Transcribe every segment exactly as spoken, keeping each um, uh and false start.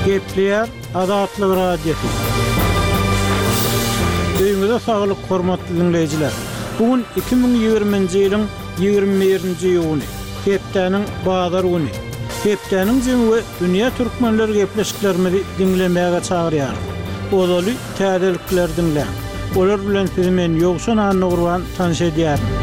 Gepleýär Azatlyk Radiosy. Öýüňize saglyk, hormatly diňleýjiler. Bu gün iki müň ýigriminji ýylyň ýigrimi birinji iýuny, hepdäniň bazar güni. Hepdäniň jemi we dünýä türkmenleri gepleşiklerimizi diňlemäge çagyrýarys. Ozaly täzelikleri diňläň. Olar bilen sizi men Ýowşan Annagurban tanyş edýärin.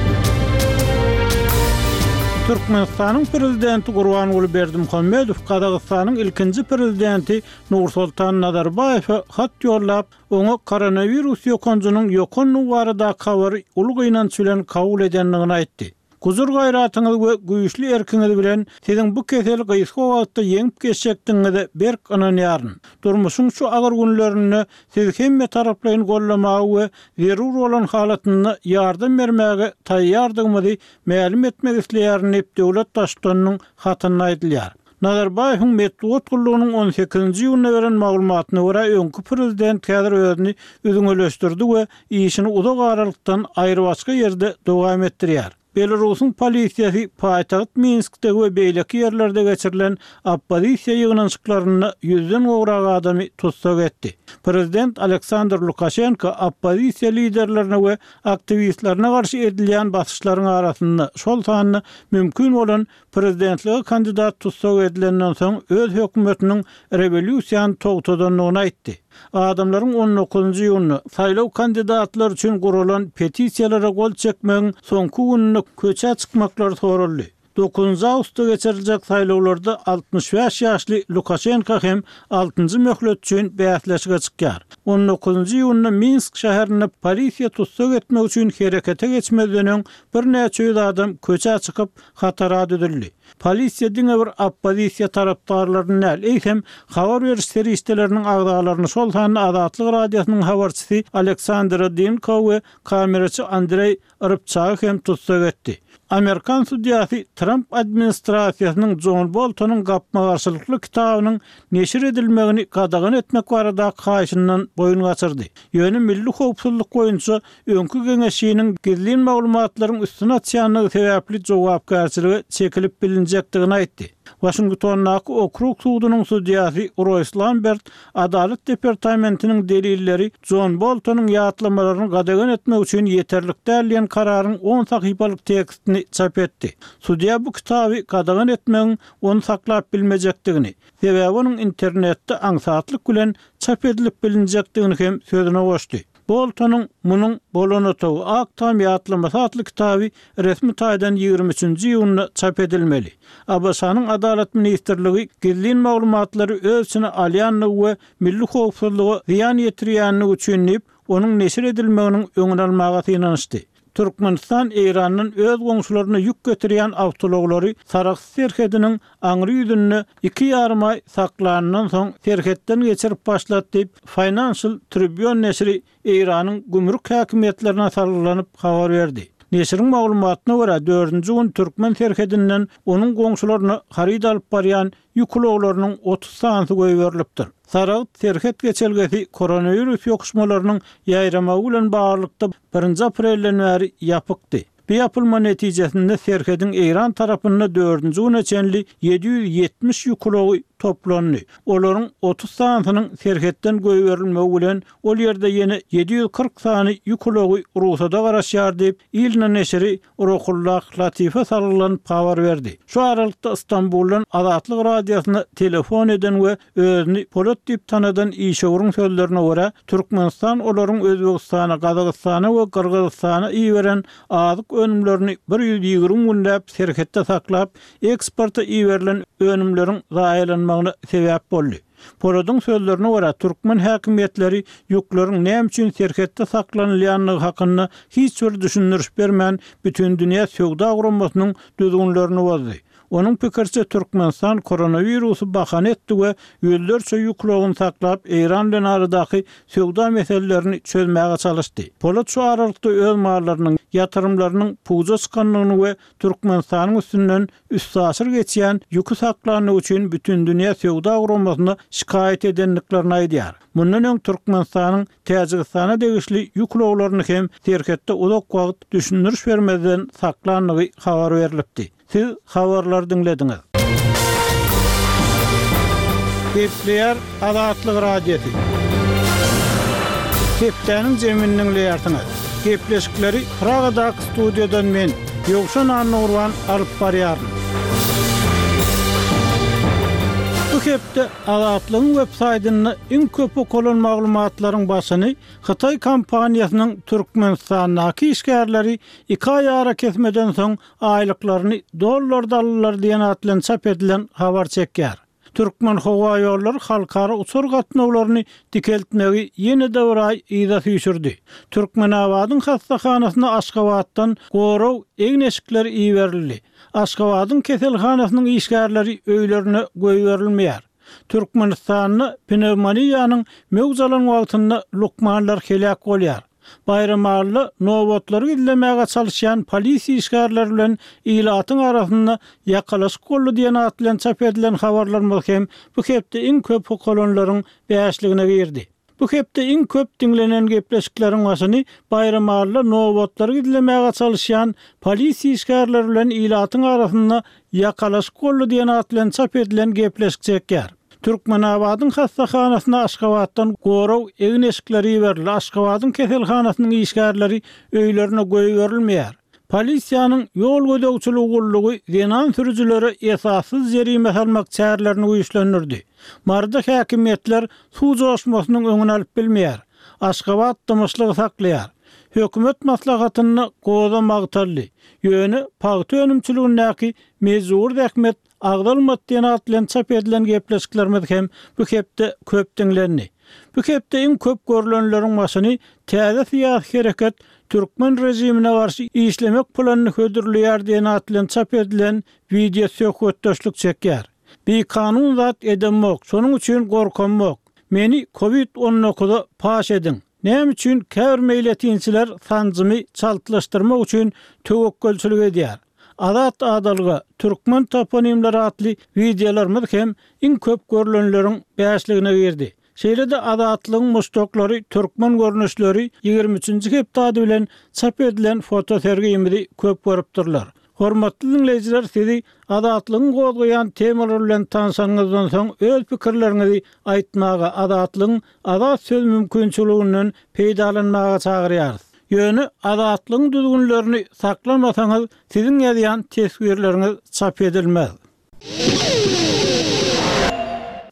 Türkmenistanyň Prezidenti Gurbanguly Berdimuhamedow Gazagystanyň ilkinji Prezidenti Nursultan Nazarbaýewe hat ýollap, oňa koronawirus ýokanjynyň ýokandygy baradaky habary uly gynanç bilen kabul edendigini aýtdy. Gujur-gaýratyňyz we güýçli erkiňiz bilen siziň bu keseli gysga wagtda ýeňip geçjekdigiňize berk ynanýaryn. Durmuşyň şu agyr günlerinde sizi hemmetaraplaýyn goldamaga we zerur bolan halatynda ýardam bermäge taýýardygymyzy mälim etmek isleýärin diýip, döwlet Baştutanynyň hatynda aýdylýar. Nazarbaýewiň metbugat gullugynyň on sekizinji iýunda beren maglumatyna görä, öňki prezident häzir özüni üzňeleşdirdi we işini uzak aralykdan aýrybaşga ýerde dowam etdirýär. Belarusyň polisiýasy paýtagt Minskde we beýleki ýerlerde geçirilen oppozisiýa ýygnanyşyklarynda ýüzden gowrak adamy tussag etdi. Prezident Aleksandr Lukaşenko oppozisiýa liderlerine we aktiwistlerine garşy edilýän basyşlaryň arasynda, şol sanda mümkin bolan prezidentlige kandidat tussag edilenden soň öz hökümetiniň rewolýusiýany togtadandygyny aýtdy. Adamlaryň on dokuzynjy iýunda saýlaw kandidatlary üçin guralan petisiýalara gol çekmegiň soňky gününde köçä çykmaklary soraldy. Dokuzynjy awgustda geçiriljek saýlawlarda altmyş bäş ýaşly Lukaşenko hem altynjy möhlet üçin bäsleşige çykýar. On dokuzynjy iýunda Minsk şäherinde polisiýa tussag etmek üçin herekete geçmezden öň birnäçe ýüz adam köçä çykyp, hatara düzüldi. Polisiýa diňe bir oppozisiýa tarapdarlaryny däl, eýsem, habar beriş serişdeleriniň agzalaryny, şol sanda Azatlyk Radiosynyň habarçysy Aleksandra Dinko we kameraçy Andreý Rybçagy hem tussag etdi. Amerikan sudýasy Tramp administrasiýasynyň Jon Boltonyň gapma-garşylykly kitabynyň neşir edilmegini gadagan etmek baradaky haýyşyndan boýun gaçyrdy. Ýöne milli howpsuzlyk boýunça öňki geňeşçiniň gizlin maglumatlaryň üstüni açýandygy sebäpli jogapkärçilige çekilip bilinjekdigini aýtdy. Waşingtondaky okrug sudunyň sudýasy Roýs Lambert Adalat departamentiniň delilleri Jon Boltonyň ýatlamalaryny gadagan etmek üçin ýeterlik däl diýen kararyň on sahypalyk tekstini çap etdi. Sudýa bu kitaby gadagan etmegiň ony saklap bilmejekdigini, sebäbi onuň internetde aňsatlyk bilen çap edilip bilinjekdigini hem sözüne goşdy. Boltonyň Munuň bolan otagy, Ak tam ýatlamasy atly kitaby resmi taýdan ýigrimi üçünji iýunda çap edilmeli. ABŞ-nyň Adalat ministrligi gizlin maglumatlary öz içine alýandygy we milli howpsuzlyga zyýan ýetirýändigi üçin diýip, onuň neşir edilmeginiň öňüni almaga synanyşdy. Türkmenistan Eýrandan öz goňşularyna ýük getirýän awtoulaglary Sarahs serhediniň aňry ýüzünde iki ýarym aý saklanyndan soň serhetden geçirip başlady diýip, Financial Tribune neşiri Eýranyň gümrük häkimiýetlerine salgylanyp habar berdi. Neşiriň maglumatyna görä, dördünji gün türkmen serhedinden onuň goňşularyna haryt alyp barýan ýük ulaglarynyň otuz sanysy goýberilipdir. Saragt serhet geçelgesi koronawirus ýokuşmalarynyň ýaýramagy bilen baglylykda birinji aprelden bäri ýapykdy. Bu ýapylma netijesinde serhediň Eýran tarapynda dördünji güne çenli ýedi ýüz ýetmiş ýük ulagy toplandy. Olaryň otuz sanysynyň serhetden goýberilmegi bilen ol ýerde ýene ýedi ýüz kyrk sany ýük ulagy rugsada garaşýar diýip, ILNA neşiri Ruhullah Latife salgylanyp habar berdi. Şu aralykda Stambuldan Azatlyk Radiosyna telefon eden we özüni Polat diýip tanadan işewüriň sözlerine görä, Türkmenistan olaryň Özbegistana, Gazagystana we Gyrgyzystana iberen azyk önümlerini bir ýüz ýigrimi günläp serhetde saklap, eksporta iberilen önümleriň zaýalanmagyna sebäp boldy. Poladyň sözlerine görä, türkmen häkimiýetleri ýükleriň näme üçin serhetde saklanylýandygy hakynda hiç bir düşündiriş bermän, Bütindünýä söwda guramasynyň düzgünlerini bozdy. Onuň pikiriçe, Türkmenistan koronawirusy bahana etdi we ýüzlerçe ýük ulagyny saklap, Eýran bilen aradaky söwda meselelerini çözmäge çalyşdy. Polat şu aralykda öz mallarynyň, ýatyrymlarynyň puja çykandygyny we Türkmenistanyň üstünden üstaşyr geçýän ýüki saklandygy üçin Bütindünýä söwda guramasyna şikaýat edendiklerini aýdýar. Mundan öň Türkmenistanyň Täjigistana degişli ýük ulaglaryny hem serhetde uzak wagt düşündiriş bermezden saklandygy habar berlipdi. Siz habarlary diňlediňiz. Gepleýär Azatlyk Radiosy. Hepdäniň jemini diňleýärsiňiz. Gepleşikleri Pragadaky studiýadan men, Ýowşan Annagurban alyp barýaryn. Bu hepde Azatlygyň web-saýtynda iň köp okalan maglumatlaryň başyny Hytaý kompaniýasynyň Türkmenistandaky işgärleri iki aý arakesmeden soň aýlyklaryny dollarda aldylar diýen at bilen çap edilen habar çekýär. Türkmenhowaýollary halkara uçar gatnawlaryny dikeltmegi ýene-de bir aý yza süýşürdi. Türkmenabadyň hassahanasyna Aşgabatdan gorag egin-eşikleri iberildi. Aşgabadyň keselhanasynyň işgärleri öýlerine goýberilmeýär. Türkmenistanda pnewmoniýanyň möwç alan wagtynda lukmanlar heläk bolýar. Baýramalyda nobatlary gizlemäge çalyşýan polisiýa işgärleri bilen ilatyň arasynda ýakalaşyk boldy diýen at bilen çap edilen habarlarymyz hem bu hepde iň köp okalanlaryň bäşligine girdi. Bu hepde iň köp diňlenen gepleşikleriň başyny Baýramalyda nobatlary gizlemäge çalyşýan polisiýa işgärleri bilen ilatyň arasynda ýakalaşyk boldy diýen at bilen çap edilen gepleşik çekýär. Türkmenabadyň hassahanasyna Aşgabatdan gorag egin-eşikleri iberildi. Aşgabadyň keselhanasynyň işgärleri öýlerine goýberilmeýär. Polisiýanyň ýol gözegçiligi gullugy zenan sürüjilere esassyz jerime salmak çärelerini güýçlendirdi. Maryda häkimiýetler suw joşmasynyň öňüni alyp bilmeýär. Aşgabat dymyşlygy saklaýar. Hökümet maslahatynda goza magtaldy. Ýöne pagta önümçiligindäki mejbury zähmet agzalmady diýen at bilen çap edilen gepleşiklerimiz hem bu hepde köp diňlendi. Bu hepde iň köp görülenleriň başyny täze syýasy hereket türkmen režimine garşy işlemek planyny hödürleýär diýen at bilen çap edilen wideo söhbetdeşlik çekýär. Bikanun zat edemok, şonuň üçin gorkamok. Meni Covid on dokuza paş ediň. Näme üçin käbir meýletinçiler sanjymy çaltlaşdyrmak üçin töwekgelçilik edýär? Azat adalga türkmen toponimleri atly wideolarymyz hem iň köp görülenleriň bäşligine girdi. Şeýle-de Azatlygyň muşdaklary türkmen görnüşleri ýigrimi üçünji hepde ady bilen çap edilen fotosergimizi köp görüpdirler. Hormatly diňleýjiler, sizi Azatlygyň gozgaýan temalar bilen tanşanyňyzdan soň öz pikirleriňizi aýtmaga, Azatlygyň azat söz mümkinçiliginden peýdalanmaga çagyrýarys. Ýöne Azatlygyň düzgünlerini saklamasaňyz, siziň ýazýan teswirleriňiz çap edilmez.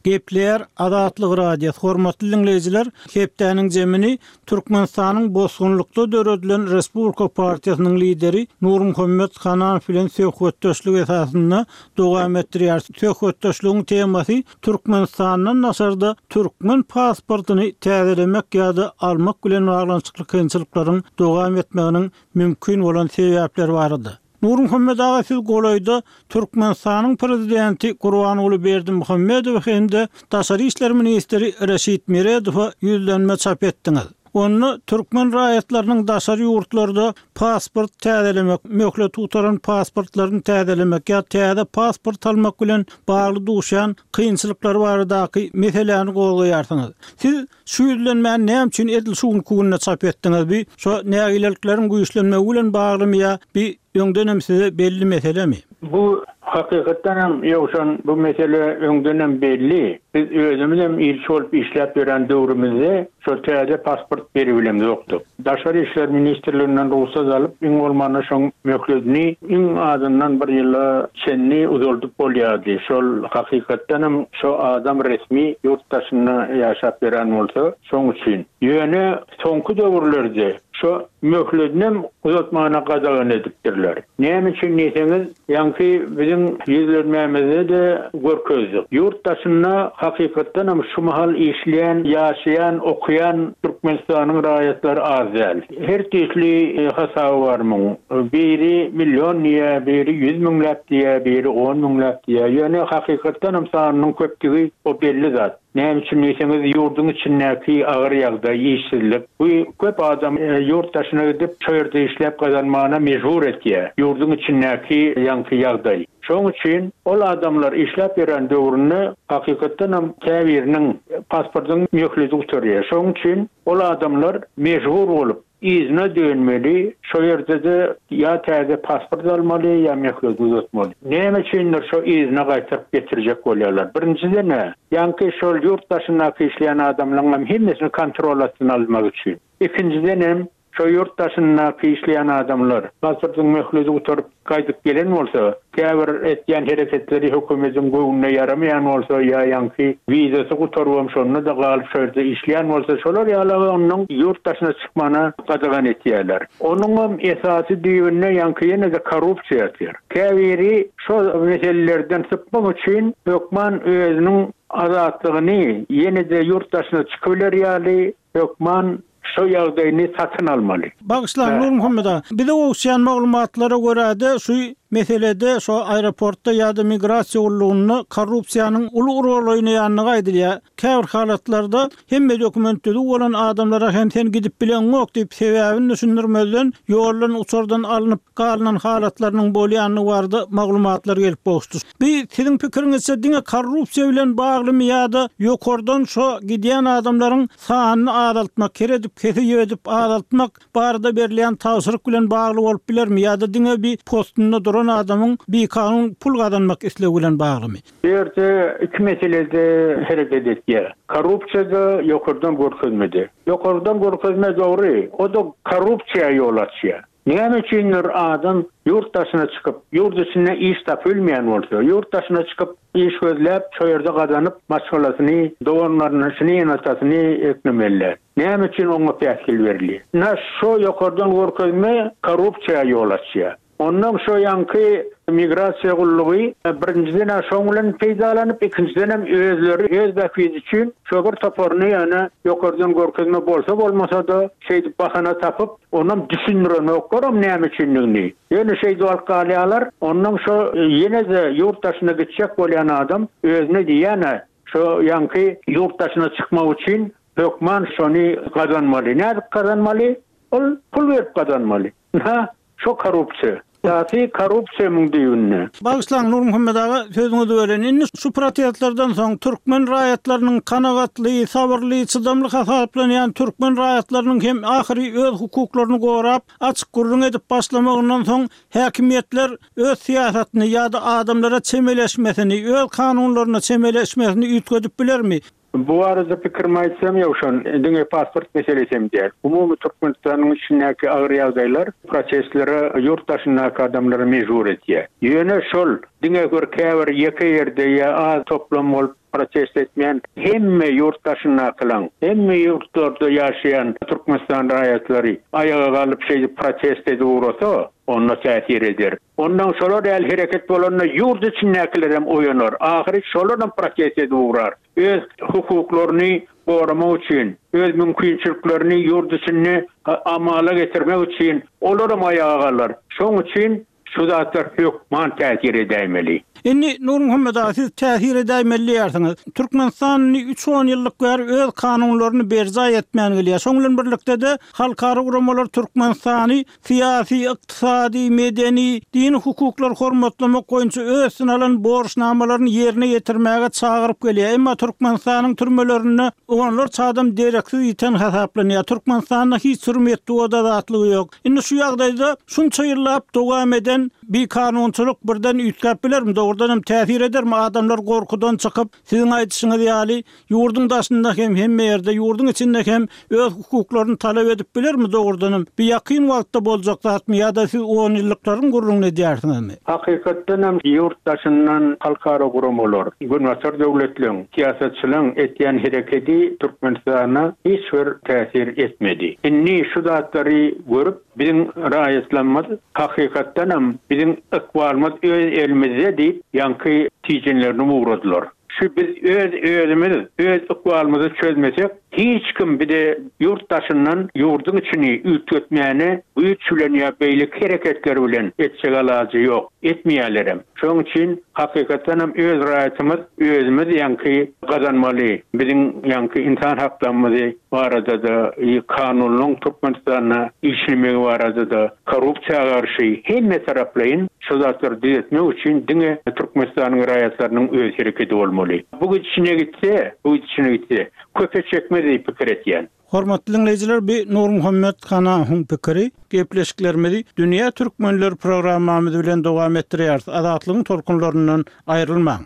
Gepleýär Azatlyk Radiosy. Hormatly diňleýjiler, hepdäniň jemini Türkmenistanyň bosgunlykda döredilen Respublika partiýasynyň lideri Nurmuhammet Hananow bilen söhbetdeşlik esasynda dowam etdirýär. Söhbetdeşligiň temasy Türkmenistandan daşarda türkmen pasportyny täzelemek ýa-da almak bilen baglanyşykly kynçylyklaryň dowam etmeginiň mümkin bolan sebäpleri barada. Nurmuhammet aga, siz golaýda Türkmenistanyň prezidenti Gurbanguly Berdimuhamedow hem-de Daşary işler ministri Reşit Meredowa ýüzlenme çap etdiňiz. Onda türkmen raýatlarynyň daşary ýurtlarda pasport täzelemek, möhlet gutaran pasportlaryny täzelemek ýa täze pasport almak bilen bagly duşýan kynçylyklar baradaky meseläni gozgaýarsyňyz. Siz şu ýüzlenmäni näme üçin edil şu günki günde çap etdiňiz? Bi şo nägilelikleriň güýçlenmegi bilen baglymy ýa bi öňdenem size belli meselemi? Bu hakykatdan hem ýowşan bu mesele öňdenem belli. Biz özümiz hem ilçi bolup işläp ýören döwrümizde şo täze pasport beribilemiz ýokdy. Daşary işler ministrliginden rugsat alyp, iň bolmanda şoň möhletini iň azyndan bir ýyla çenli uzaldyp bolýardy. Şol hakykatdan hem şo adam resmi ýurt daşynda ýaşap ýören bolsa, şoň üçin. Ýöne soňky döwürlerde şo möhletini uzatmana gadagan edipdirler. Näme üçin diýseňiz, ýaňky biziň ýüzlenmämizde-de görkezdik. Ýurt daşynda hakykatdan hem şu mahal işleýän, ýaşaýan, okuýan Türkmenistanyň raýatlary az däl. Her türlü hasaby bar muň. Biri milyon diýe, biri ýüz müňläp diýe, biri on müňläp diýe. Ýöne hakykatdan hem sanynyň köpdügi o belli zat. Näme üçin diýseňiz, ýurduň içindäki agyr ýagdaý, işsizlik. Bu köp adam, e, ýurt daşyna gidip, şo ýerde işläp gazanmagyna mejbur etýär. Ýurduň içindäki ýaňky ýagdaý. Şoň üçin ol adamlar işläp ýören döwründe hakykatdan hem käbiriniň pasportynyň möhleti gutarýar. Şoň üçin ol adamlar mejbur bolup Yzyna dönmeli, şo ýerde-de ýa täze pasport almaly, ýa möhlet uzatmaly. Näme üçindir şo yzyna gaýtaryp getirjek bolýarlar? Birinjiden-ä, ýaňky şol ýurt daşyndaky işleýän adamlaryň hem hemmesini kontrol astyna almak üçin. Ikinjidenem, şo ýurt daşyndaky işleýän adamlar pasportyň möhleti gutaryp gaýdyp gelen bolsa, käbir etýän hereketleri hökümetiň göwnüne ýaramaýan bolsa ýa ýaňky wizasy gutarybam şonda-da galyp şo ýerde işleýän bolsa, şolar ýaly onuň ýurt daşyna çykmagyna gadagan etýärler. Onuňam esasy düýbünde ýaňky ýene-de korrupsiýa ýatyr. Käbiri şo meselelerden sypmak üçin hökman özüniň azatlygyny ýene-de ýurt daşyna çykybiler ýaly hökman şo ýagdaýyny satyn almaly. Bagyşlaň Nurmuhammet aga, bize gowuşýan maglumatlara görä-de şu meselede şo aeroportda ýa-da migrasiýa gullugynda korrupsiýanyň uly rol oýnaýandygy aýdylýar. Käbir halatlarda hemme dokument düzüw bolan adamlara hem sen gidip bileňok diýip sebäbini düşündirmezden ýoldan uçardan alnyp galynan halatlarynyň bolýandygy barada maglumatlar gelip gowuşdy. Bi siziň pikiriňizçe diňe korrupsiýa bilen baglymy ýa-da ýokardan şo gidýän adamlaryň sanyny azaltmak, her edip kesip edip azaltmak barada berilýän tabşyryk bilen bagly bolup bilermi ýa-da diňe bir postunda duran adamyň bikanun pul gazanmak islegi bilen baglymy? Bu ýerde iki meselede hereket etýär. Korrupsiýada ýokardan görkezmedi. Ýokardan görkezme dogry, o da korrupsiýa ýol açýar. Näme üçindir adam ýurt daşyna çykyp, ýurt içinde iş tapylmaýan bolsa, ýurt daşyna çykyp iş gözläp, şo ýerde gazanyp, maşgalasyny, doganlaryny, ene-atasyny eklemeli. Näme üçin oňa päsgel berilýär? Na şo ýokardan görkezme korrupsiýa ýol açýar. Ondan şo ýaňky migrasiýa gullugy birinjiden şoň bilen peýdalanyp, ikinjiden hem özleri öz bähbidi üçin şo bir toparyny ýöne ýokardan görkezme bolsa bolmasa-da şeýdip bahana tapyp, onam düşündirenoklar näme üçindigini. Ýöne şeýdip alyp galýarlar, ondan şo ýene-de ýurt daşyna gitjek bolýan adam özüne diýýän şo ýaňky ýurt daşyna çykmak üçin hökman şony gazanmaly. Nädip gazanmaly? Ol pul berip gazanmaly. Ha, şo korrupsiýa. Esasy korrupsiýa müň düýbünde. Bagyşlaň Nurmuhammet aga, sözüňizi bölen. Indi şu protestlerden soň türkmen raýatlarynyň kanagatly, sabyrly, çydamly hasaplanýan türkmen raýatlarynyň hem ahyry öz hukuklaryny gorap, açyk gürrüň edip başlamagyndan soň häkimiýetler öz syýasatyny ýa-da adamlara çemeleşmesini, öz kanunlaryna çemeleşmesini üýtgedip bilermi? Bu arada pikirimi aýtsam ýowşan, diňe pasport meselesi hem däl. Umumy Türkmenistanyň içindäki agyr ýagdaýlar protestlere ýurt daşyndaky adamlary mejbur etýär. Ýöne şol diňe bir käbir ýeke ýerde ýa az toplam bolup protest etmeýän hemme ýurt daşyndakylaň, hemme ýurtlarda ýaşaýan Türkmenistan raýatlary aýaga galyp şeýdip protest edip ugrasa, onda täsir eder. Ondan şolar ýaly hereket bolanda ýurt içindäkiler hem oýanar. Ahyry şolar hem protest edip ugrar. Öz hukuklaryny goramak üçin, öz mümkinçiliklerini ýurt içinde amala getirmek üçin olar hem aýaga galar. Şoň üçin şu zatlar hökman täsir edäýmeli. Indi Nurmuhammet aga siz täsir edäýmeli diýýärsiňiz. Türkmenistan üç on ýyllyk bäri öz kanunlaryny berjaý etmän gelýär. Şoň bilen birlikde-de halkara guramalar Türkmenistany syýasy, ykdysady, medeni, dini hukuklar hormatlamak boýunça öz üstüne alan borçnamalaryny ýerine ýetirmäge çagyryp gelýär. Emma Türkmenistanyň türmelerinde onlarça adam dereksiz ýiten hasaplanýar. Türkmenistanda hiç bir metbugat azatlygy ýok. Indi şu ýagdaýda şunça ýyllap dowam eden bir kanunçylyk birden üýtgäp bilermi? Dogrudan hem täsir edermi? Adamlar gorkudan çykyp, siziň aýdyşyňyz ýaly ýurduň daşynda hem hemme ýerde, ýurduň içinde hem öz hukuklaryny talap edip bilermi dogrudan hem? Bir ýakyn wagtda boljak zatmy ýa-da siz on ýyllyklaryň gürrüňini edýärsiňizmi? Hakykatdan hem ýurt daşyndan halkara guramalar, Günbatar döwletleň, syýasatçylaryň etýän hereketi Türkmenistana hiç bir täsir etmedi. Indi şu zatlary görüp biziň raýatlarymyz hakykatdan hem biziň ykbalymyz öz elimizde diýip ýaňky tijenlerini ugradylar. Şu biz öz özümiz, öz ykbalymyzy çözmesek, hiç kim bize ýurt daşyndan ýurduň içini üýtgetmäne güýç bilen ýa beýleki hereketler bilen etjek alajy ýok, etmeýärler hem. Şonuň üçin hakykatdan hem öz raýatymyz özümiz ýaňky gazanmaly. Biziň ýaňky insan haklarymyzy barada-da, kanunyň Türkmenistanda işlemegi barada-da, korrupsiýa garşy hemme taraplaýyn şu zatlary düzetmek üçin diňe Türkmenistanyň raýatlarynyň öz hereketi bolmaly. Bu gidişine gitse, bu gidişine gitse, köpe çekmez diýip pikir etýän. Hormatly dinleýjiler, bi Nurmuhammet Hanawyň pikiri gepleşiklerimizi Dünýä Türkmenler programmamyz bilen dowam etdirýäris. Azatlygyň tolkunlaryndan aýrylmaň.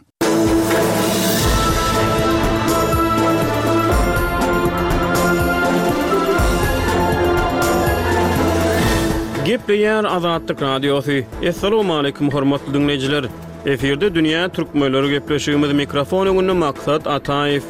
Gepleýär Azatlyk Radiosy. Essalamu aleýkum hormatly dinleýjiler. Efirde Dünýä Türkmenleri gepleşigimiz mikrofon öňünde Maksat Ataýew.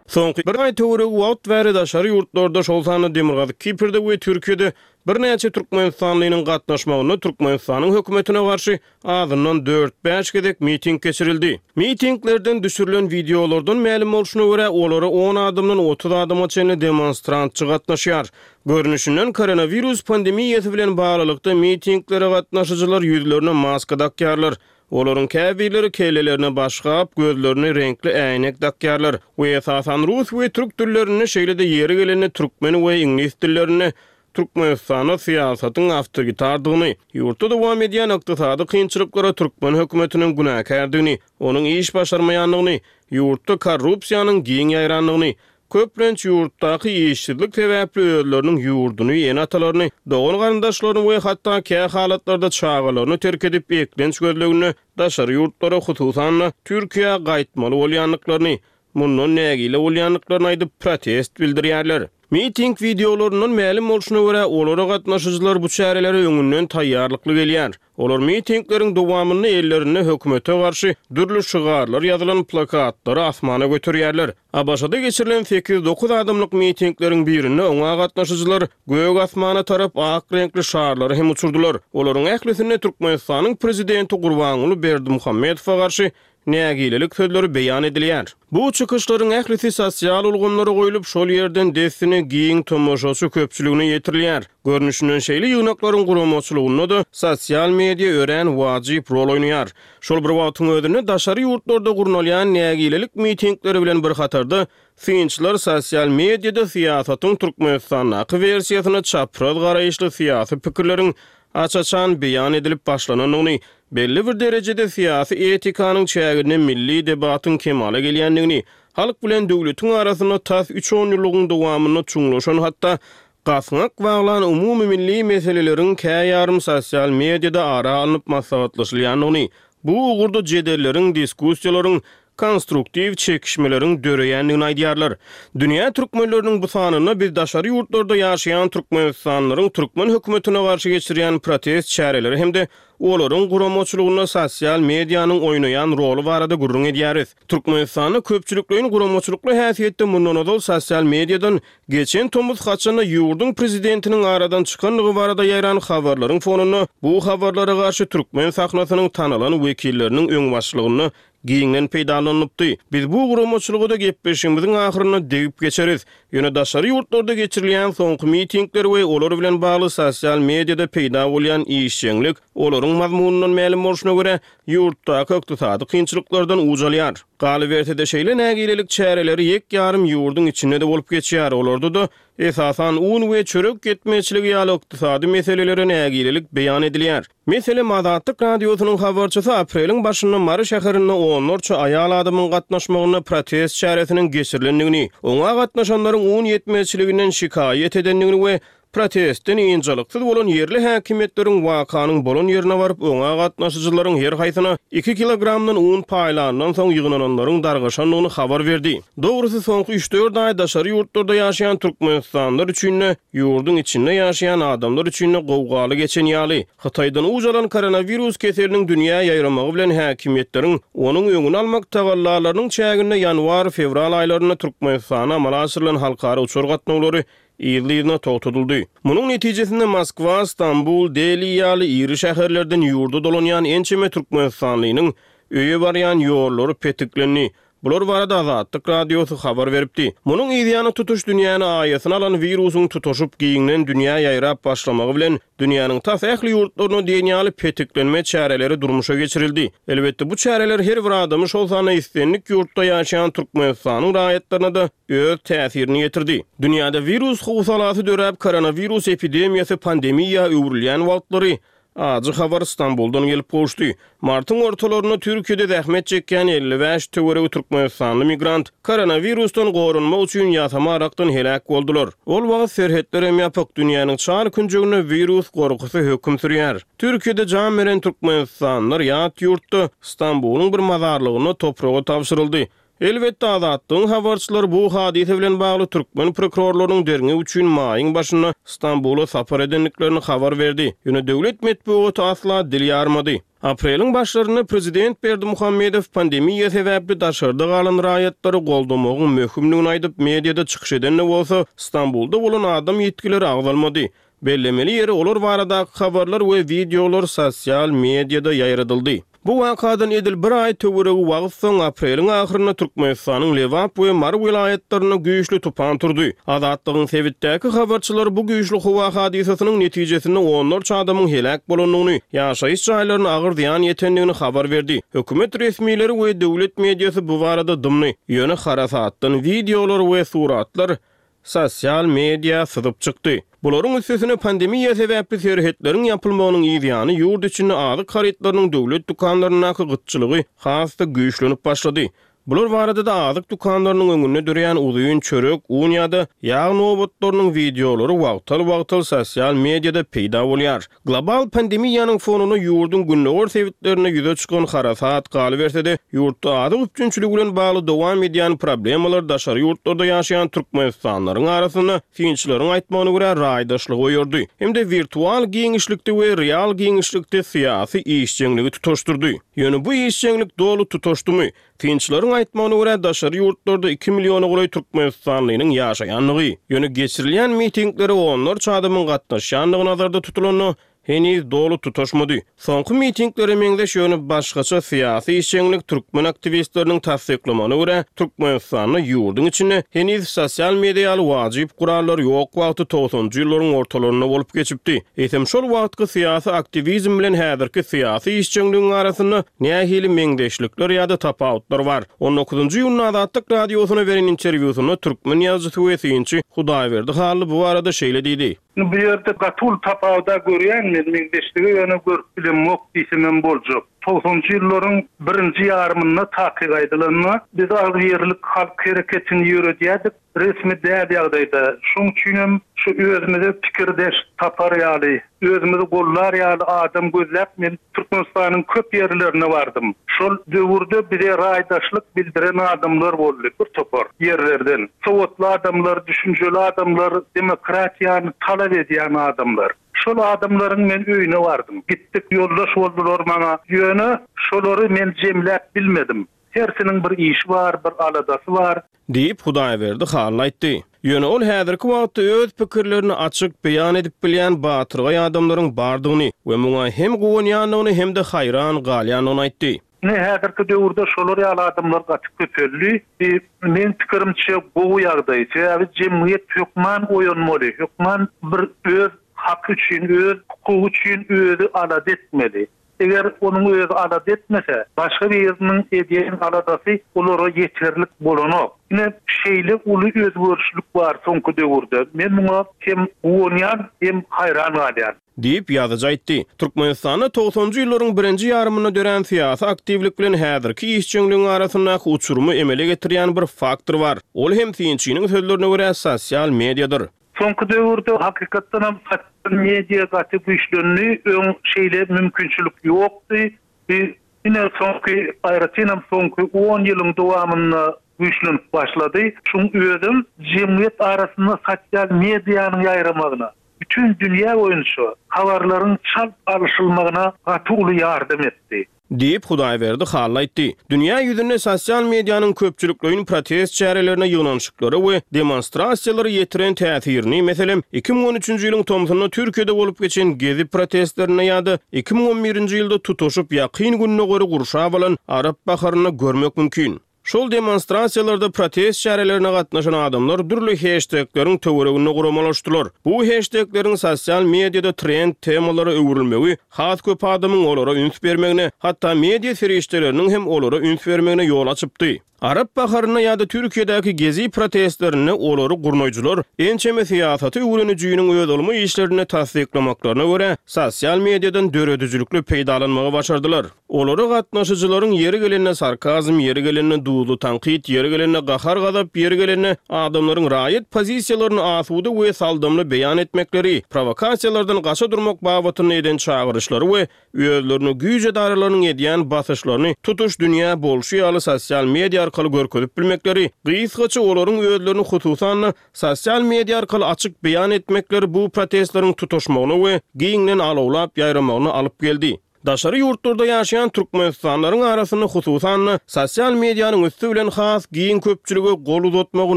Soňky bir aý töweregi wagt bäri daşary ýurtlarda, şol sanda Demirgazyk Kiprde we Türkiýede birnäçe türkmenistanlynyň gatnaşmagynda Türkmenistanyň hökümetine garşy azyndan dört-bäş gezek miting geçirildi. Mitinglerden düşürilen wideolardan mälim bolşuna görä, olara on adamdan otuz adama çenli demonstrantçy gatnaşýar. Görnüşinden koronawirus pandemiýasy bilen baglylykda mitinglere gatnaşyjylar ýüzlerine maska dakýarlar. Olaryň käbirleri kellelerine başgap, gözlerine reňkli äýnek dakýarlar we esasan rus we türk dillerinde, şeýle-de ýeri gelende türkmen we iňlis dillerinde Türkmenistanda syýasatyň awtoritardygyny, ýurtda dowam edýän ykdysady kynçylyklara türkmen hökümetiniň günäkärdigini, onuň iş başarmaýandygyny, ýurtda korrupsiýanyň giň ýaýrandygyny, köplenç ýurtdaky işsizlik sebäpli özleriniň ýurduny, ene-atalaryny, dogan garyndaşlaryny we hatda kä halatlarda çagalaryny terk edip eklenç gözleginde daşary ýurtlara, hususan-da Türkiýä gaýtmaly bolýandyklaryny, mundan nägile bolýandyklaryny aýdyp protest bildirýärler. Miting wideolaryndan mälim bolşuna görä, olara gatnaşyjylar bu çärelere öňünden taýýarlykly gelýär. Olar mitingleriň dowamynda ellerinde hökümete garşy dürli şygarlar ýazylan plakatlary asmana göterýärler. ABŞ-da geçirilen sekiz-dokuz adamlyk mitingleriň birinde oňa gatnaşyjylar gök asmana tarap ak reňkli şarlary hem uçurdylar. Olaryň ählisinde Türkmenistanyň prezidenti Gurbanguly Berdimuhamedowa garşy nägilelik sözleri beýan edilýär. Bu çykyşlaryň ählisi sosial ulgamlara goýlup, şol ýerden dessine giň tomaşaçy köpçüligine ýetirilýär. Görnüşinden şeýle ýygnaklaryň guramaçylygynda-da sosial media örän wajyp rol oýnaýar. Şol bir wagtyň özünde daşary ýurtlarda gurnalýan nägilelik mitingleri bilen bir hatarda synçylar sosial mediada syýasatyň Türkmenistandaky wersiýasyna çapraz garaýyşly syýasy pikirleriň aç-açan beýan edilip başlanandygyny, belli bir derejede syýasy etikanyň çäginde milli debatyň kemala gelýändigini, halk bilen döwletiň arasynda tas üç on ýyllygyň dowamynda çuňlaşan hatda gasňak baglan umumy milli meseleleriň käýarym sosial mediada ara alnyp maslahatlaşylýandygyny, bu ugurda jedelleriň, diskussiýalaryň, konstruktiw çekişmeleriň döreýändigini aýdýarlar. Dünýä türkmenleriniň bu sanynda biz daşary ýurtlarda ýaşaýan türkmenistanlylaryň türkmen hökümetine garşy geçirýän protest çäreleri hem-de olaryň guramaçylygynda sosial medianyň oýnaýan roly barada gürrüň edýäris. Türkmenistanda köpçülikleýin guramaçylykly häsiýetde mundan ozal sosial mediadan geçen tomus haçanda ýurduň prezidentiniň aradan çykandygy barada ýaýran habarlaryň fonunda bu habarlara garşy türkmen sahnasynyň tanalan wekilleriniň öňbaşçylygynda giňden peýdalanypdy. Biz bu guramaçylyga da gepleşigimiziň ahyrynda degip geçeris. Ýöne daşary ýurtlarda geçirilýän soňky mitingler we olar bilen bagly sosial mediada peýda bolýan işjeňlik olaryň mazmunyndan mälim bolşuna görä ýurtdaky ykdysady kynçylyklardan uç alýar. Galyberse-de şeýle nägilelik çäreleri ýek ýarym ýurduň içinde de bolup geçýär. Olarda da esasan un we çörek ýetmezçiligi ýaly ykdysady meselelere nägilelik beýan edilýär. Meselem, Azatlyk Radiosynyň habarçysy apreliň başynda Mary şäherinde onlarça aýal adamyň gatnaşmagynda protest çäresiniň geçirilendigini, oňa gatnaşanlaryň un ýetmezçiliginden şikaýat edendigini we protestden ynjalyksyz bolan ýerli häkimiýetleriň wakanyň bolan ýerine baryp, oňa gatnaşyjylaryň her haýsyna iki kilogramdan un paýlandan soň ýygnananlaryň dargaşandygyny habar berdi. Dogrusy soňky üç-dört aý daşary ýurtlarda ýaşaýan türkmenistanlylar üçin-de, ýurduň içinde ýaşaýan adamlar üçin-de gowgaly geçen ýaly, Hytaýdan uç alan koronawirus keseliniň dünýä ýaýramagy bilen häkimiýetleriň onuň öňüni almak tagallalarynyň çäginde ýanwar-fewral aýlarynda Türkmenistana amala aşyrylan halkara uçar gatnawlary yzly-yzyna togtadyldy. Munuň netijesinde Moskwa, Stambul, Deli ýaly iri şäherlerden ýurda dolanýan ençeme türkmenistanlynyň öýe barýan ýollary petiklendi. Bular barada Azatlyk Radiosy habar beripdi. Munuň yzýany tutuş dünýäni aýasyna alan wirusyň tutuşyp giňden dünýä ýaýrap başlamagy bilen dünýäniň tas ähli ýurtlaryna diýen ýaly petiklenme çäreleri durmuşa geçirildi. Elbetde bu çäreler her bir adamy şol sanda islendik ýurtda ýaşaýan Türkmenistanyň raýatlaryna da öz täsirini ýetirdi. Dünýäde wirus howsalasy döräp, koronawirus epidemiýasy pandemiýa öwrülýän wagtlary Ajy habar Stambuldan gelip gowuşdy. Martyň ortalarynda Türkiýede zähmet çekýän elli bäş töweregi türkmenistanly migrant koronawirusdan goranmak üçin ýasama arakdan heläk boldular. Ol wagt serhetler hem ýapyk, dünýäniň çar künjeginde wirus gorkusy höküm sürýär. Türkiýede jan beren türkmenistanlylar ýat ýurtda Stambulyň bir mazarlygynda topraga tabşyryldy. Elbetde, Azatlygyň habarçylary bu hadysa bilen bagly türkmen prokurorlarynyň derňew üçin maýyň başynda Stambula sapar edendiklerini habar berdi. Ýöne döwlet metbugaty asla dil ýarmady. Apreliň başlarynda prezident Berdimuhamedow pandemiýa sebäpli daşarda galan raýatlary goldamagyň möhümdigini aýdyp, mediada çykyş eden-de bolsa, Stambulda bolan adam ýitgileri agzalmady. Bellemeli ýeri, olar baradaky habarlar we wideolar sosial mediada ýaýradyldy. Bu wakadan edil bir aý töweregi wagt soň, apreliň ahyrynda Türkmenistanyň Lebap we Mary welaýatlarynda güýçli tupan turdy. Azatlygyň sebitdäki habarçylary bu güýçli howa hadysasynyň netijesinde onlarça adamyň heläk bolandygyny, ýaşaýyş jaýlaryna agyr zyýan ýetendigini habar berdi. Hökümet resmileri we döwlet mediasy bu barada dymdy. Ýöne harasatdan wideolar we suratlar sosial media syzyp çykdy. Bularyň üstesine pandemiýa sebäpli serhetleriň ýapylmagynyň yz ýany ýurt içinde azyk harytlarynyň döwlet dükanlaryndaky gytçylygy has-da güýçlenip başlady. Bular barada-da azyk dükanlarynyň öňünde dörän uzyn çörek, un ýa-da ýag nobatlarynyň wideolary wagtal-wagtal sosial mediada peýda bolýar. Global pandemiýanyň fonunda ýurduň gündogar sebitlerinde ýüze çykan harasat, galyberse-de, ýurtda azyk üpjünçiligi bilen bagly dowam edýän problemalar daşary ýurtlarda ýaşaýan türkmenistanlylaryň arasynda, synçylaryň aýtmagyna görä, raýdaşlygy oýardy hem-de wirtual giňişlikde we real giňişlikde syýasy işjeňligi tutaşdyrdy. Ýöne bu işjeňlik doly tutaşdymy? Synçylaryň aýtmagyna görä, daşary ýurtlarda iki milliona golaý türkmenistanlynyň ýaşaýandygy, ýöne geçirilýän mitinglere onlarça adamyň gatnaşýandygy nazarda tutulanda, heniz doly tutaşmady. Soňky mitinglere meňzeş, ýöne başgaça syýasy işjeňlik türkmen aktiwistleriniň tassyklamagyna görä, Türkmenistanda ýurduň içinde heniz sosial media ýaly wajyp gurallar ýok wagty togsanjy ýyllaryň ortalarynda bolup geçipdi. Eýsem şol wagtky syýasy aktiwizm bilen häzirki syýasy işjeňligiň arasynda nähili meňzeşlikler ýa-da tapawutlar bar? On dokuzynjy iýunda Azatlyk Radiosyna beren interwýusynda türkmen ýazyjysy we synçy Hudaýberdi Hally bu barada şeýle diýdi. Bu ýerde gaty uly tapawuda görýän men, meňzeşligi ýöne görüp bilemok diýsemem boljak. Togsanjy ýyllaryň birinji ýarymynda takyk aýdylanda, biz agzybirlik halk hereketini ýöredýärdik, resmi däl ýagdaýda. Şoň üçinem şu özümize pikirdeş tapar ýaly, özümizi gollar ýaly adam gözläp men Türkmenistanyň köp ýerlerine bardym. Şol döwürde bize raýdaşlyk bildiren adamlar boldy bir topar ýerlerden. Sowatly adamlar, düşünjeli adamlar, demokratiýany talap edýän adamlar. Şol adamlaryň men öýüne bardym. Gitdik, ýoldaş boldular maňa. Ýöne şolary men jemläp bilmedim. Hersiniň bir işi bar, bir aladasy bar. Diýip, Hudaýberdi Hally aýtdy. Ýöne ol häzirki wagtda öz pikirlerini açyk beýan edip bilýän batyrgaý adamlaryň bardygyny we muňa hem guwanýandygyny hem-de haýran galýandygyny aýtdy. Ine, häzirki döwürde şolar ýaly adamlar gaty köpeldi. Bu, meň pikirimçe, gowy ýagdaý. Sebäbi jemgyýet hökman oýanmaly, hökman bir öz haky üçin, öz hukugy üçin özi alada etmeli. Eger onuň özi alada etmese, başga biriniň edýän aladasy olara ýeterlik bolanok. Ine, şeýle uly özgerişlik bar soňky döwürde. Men muňa hem guwanýan, hem haýran galýan. Diýip, ýazyjy aýtdy. Türkmenistanda togsanjy ýyllaryň birinji ýarymynda dörän syýasy aktiwlik bilen häzirki işjeňligiň arasyndaky uçurymy emele getirýän bir faktor bar. Ol hem, synçynyň sözlerine görä, sosial mediadyr. Soňky döwürde hakykatdanam sosial media gaty güýçlendi. Öň şeýle mümkinçilik ýokdy. Bu ine soňky, aýratynam soňky on ýylyň dowamynda güýçlenip başlady. Şuň özem jemgyýet arasynda sosial medianyň ýaýramagyna, bütin dünýä boýunça habarlaryň çalt alyşylmagyna gaty uly ýardam etdi. Diýip, Hudaýberdi Hally aýtdy. Dünýä ýüzünde sosial medianyň köpçülikleýin protest çärelerine, ýygnanyşyklara we demonstrasiýalara ýetiren täsirini, meselem, iki müň on üçünji ýylyň tomsunda Türkiýede bolup geçen Gezi protestlerinde ýa-da iki müň on birinji ýylda tutaşyp Ýakyn Gündogary gurşap alan Arap baharynda görmek mümkin. Şol demonstrasiýalarda protest çärelerine gatnaşan adamlar dürli heştegleriň töwereginde guramalaşdylar. Bu heştegleriň sosial mediada trend temalara öwrülmegi has köp adamyň olara üns bermegine, hatda media serişdeleriniň hem olara üns bermegine ýol açypdy. Arap baharynda ýa-da Türkiýedäki Gezi protestlerinde olary gurnaýjylar ençeme syýasaty öwrenijiniň öz ylmy işlerinde tassyklamaklaryna görä, sosial mediadan döredijilikli peýdalanmagy başardylar. Olara gatnaşyjylaryň ýeri gelende sarkazm, ýeri gelende duzly tankyt, ýeri gelende gahar-gazap, ýeri gelende adamlaryň raýat pozisiýalaryny asuda we saldamly beýan etmekleri, prowokasiýalardan gaça durmak babatynda eden çagyryşlary we özlerini güýç edaralarynyň edýän basyşlaryny tutuş dünýä bolşy ýaly sosial media arkaly görkezip bilmekleri, gysgaça olaryň özlerini hususan-da sosial media arkaly açyk beýan etmekleri bu protestleriň tutuşmagyna we giňden alawlap ýaýramagyna alyp geldi. Daşary ýurtlarda ýaşaýan Türkmenistanlylaryň arasynda hususan-da sosial medianyň üsti bilen has giň köpçülige gol uzatmagy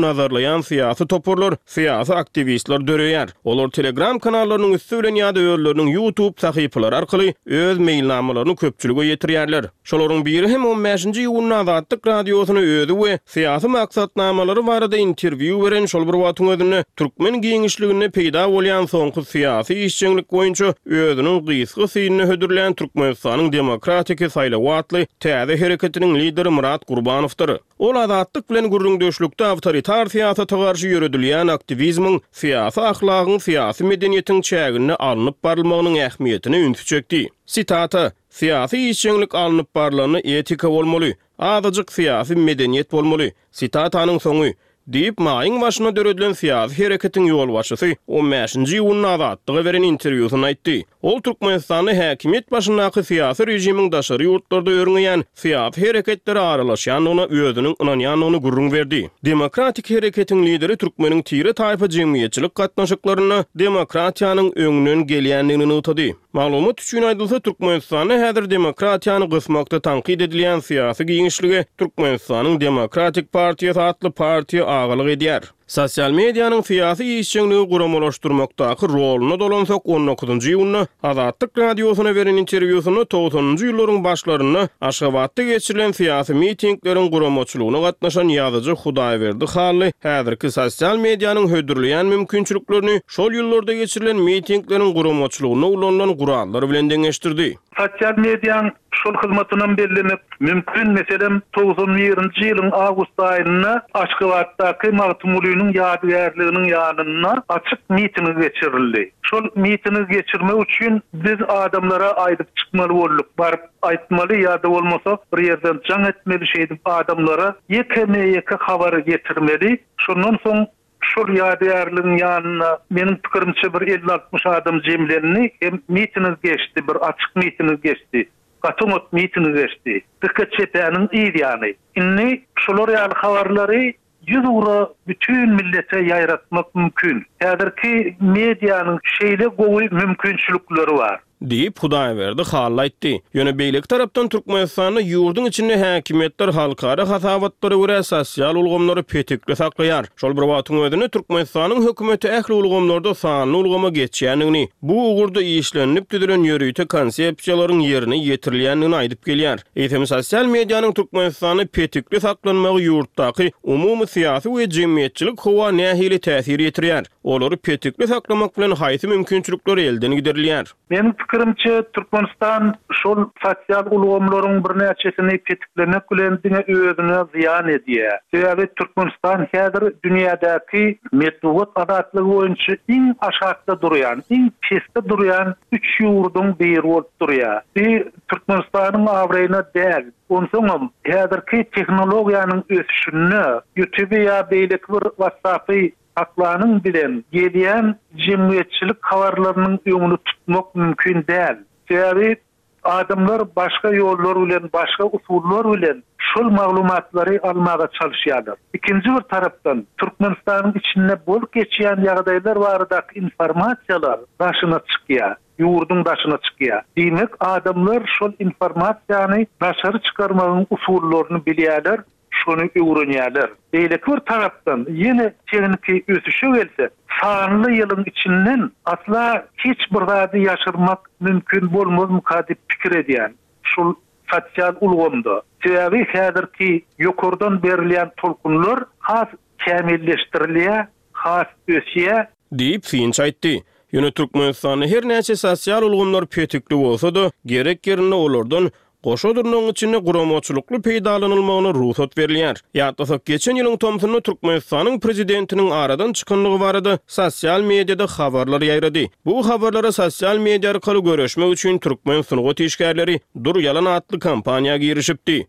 nazarlaýan syýasy toparlar, syýasy aktiwistler döreýär. Olar Telegram kanallarynyň üsti bilen ýa-da özleriniň YouTube sahypalary arkaly öz meýilnamalaryny köpçülige ýetirýärler. Şolaryň biri hem on bäşinji iýunda Azatlyk Radiosyna özi we syýasy maksatnamalary barada interwýu beren şol bir wagtyň özünde türkmen giňişliginde peýda bolýan soňky syýasy işjeňlik boýunça özüniň gysga synyny hödürlän Türkmenistanyň Demokratiki saýlawy atly täze hereketiniň lideri Myrat Gurbanowdyr. Ol Azatlyk bilen gürrüňdeşlikde awtoritar syýasata garşy ýöredilýän aktiwizmiň syýasy ahlagyň, syýasy medeniýetiň çäginde alnyp barylmagynyň ähmiýetine ünsi çekdi. Sitata: Syýasy işjeňlik alnyp barylanda etika bolmaly, azajyk syýasy medeniýet bolmaly. Sitatanyň soňy diýip, maýyň başynda döredilen syýasy hereketiň ýolbaşçysy on bäşinji iýunda Azatlyga beren interwýusynda aýtdy. Ol Türkmenistanda häkimiýet başyndaky syýasy režimiň daşary ýurtlarda örňeýän syýasy hereketlere aralaşýandygyna özüniň ynanýandygyny gürrüň berdi. Demokratik hereketiň lideri türkmeniň tire-taýpa jemgyýetçilik gatnaşyklarynda demokratiýanyň öňünden gelýändigini nygtady. Maglumat üçin aýdylsa, Türkmenistanda häzir demokratiýany gysmakda tankyt edilýän syýasy giňişlige Türkmenistanyň Demokratik partiýasy atly partiýa agalyk edýär. Sosial medianyň syýasy işjeňligi guramalaşdyrmakdaky roluna dolansak, on dokuzynjy iýunda Azatlyk Radiosyna beren interwýusynda togsanynjy ýyllaryň başlarynda Aşgabatda geçirilen syýasy mitingleriň guramaçylygyna gatnaşan ýazyjy Hudaýberdi Hally häzirki sosial medianyň hödürleýän mümkinçiliklerini şol ýyllarda geçirilen mitingleriň guramaçylygynda ulanylan gurallar bilen deňeşdirdi. Sosial medianyň şol hyzmatynam bellemek mümkin. Meselem, togsan birinji ýylyň awgust aýynda Aşgabatdaky Magtymgulynyň ýadygärliginiň ýanynda açyk miting geçirildi. Şol mitingi geçirmek üçin biz adamlara aýdyp çykmaly bolduk. Baryp aýtmaly ýa-da bolmasa bir ýerden jaň etmeli, şeýdip adamlara ýekeme-ýeke habary getirmeli. Şondan soň şol ýadygärligiň ýanynda meniň pikirimçe bir elli altmyş adam jemlendi, hem miting geçdi, bir açyk miting geçdi. Gaty oňat miting geçdi. Dikkat çepäniň yz ýany. Indi şolar ýaly habarlary ýüz ugra bütün millete ýaýratmak mümkin. Häzirki medianyň şeýle gowy mümkinçilikleri bar. Diýip Hudaýberdi Hally aýtdy. Ýöne beýleki tarapdan Türkmenistanda ýurduň içinde häkimiýetler halkara hasabatlara görä sosial ulgamlary petikli saklaýar. Şol bir wagtyň özünde Türkmenistanyň hökümeti ähli ulgamlarda sanly ulgama geçýändigini, bu ugurda işlenilip düzülen ýörite konsepsiýalaryň ýerine ýetirilýändigini aýdyp gelýär. Eýsem sosial medianyň Türkmenistanda petikli saklanmagy ýurtdaky umumy syýasy we jemgyýetçilik howa nähili täsir ýetirýär? Olary petikli saklamak bilen haýsy mümkinçilikler elden giderilýär? Meniň pikirimçe Türkmenistan şol sosial ulgamlaryň birnäçesini petiklemek bilen diňe özüne zyýan edýär. Sebäbi Türkmenistan häzir dünýädäki metbugat azatlygy boýunça iň aşakda durýan, iň pesde durýan üç ýurduň biri bolup durýar. Bu Türkmenistanyň abraýyna däl. Onsoňam häzirki tehnologiýanyň ösüşinde YouTube ýa beýleki bir WhatsApp-y saklanyň bilen gelýän jemgyýetçilik habarlarynyň öňüni tutmak mümkin däl. Sebäbi adamlar başga ýollar bilen, başga usullar bilen şol maglumatlary almaga çalışýarlar. Ikinji bir tarapdan Türkmenistanyň içinde bolup geçýän ýagdaýlar baradaky informasiýalar daşyna çykýar. Ýurduň daşyna çykýar. Diýmek, adamlar şol informasiýany daşary çykarmagyň usullaryny bilýärler, şony öwrenýärler. Beýleki bir tarapdan ýene tehniki ösüşe gelse, sanly ýylyň içinden asla hiç bir zady ýaşyrmak mümkin bolmazmyka diýip pikir edýän. Şol sosial ulgamda. Sebäbi häzirki ýokardan berilýän tolkunlar has kämilleşdirilýär, has ösýär. Diýip, synçy aýtdy. Ýöne Türkmenistanda her näçe sosial ulgamlar petikli bolsa-da, gerek ýerinde olardan goşa dyrnagyň içinde guramaçylykly peýdalanylmagyna rugsat berilýär. Ýatlasak, geçen ýylyň tomsunda Türkmenistanyň prezidentiniň aradan çykanlygy barada sosial mediada habarlar ýaýrady. Bu habarlara sosial media arkaly göreşmek üçin türkmen sungat işgärleri Dur ýalan atly kampaniýa girişipdi.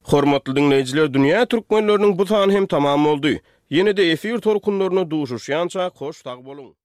Hormatly diňleýjiler, Dünýä türkmenleriniň bu sany hem tamam boldy. Ýene-de efir tolkunlarynda duşuşýançak hoş sag boluň!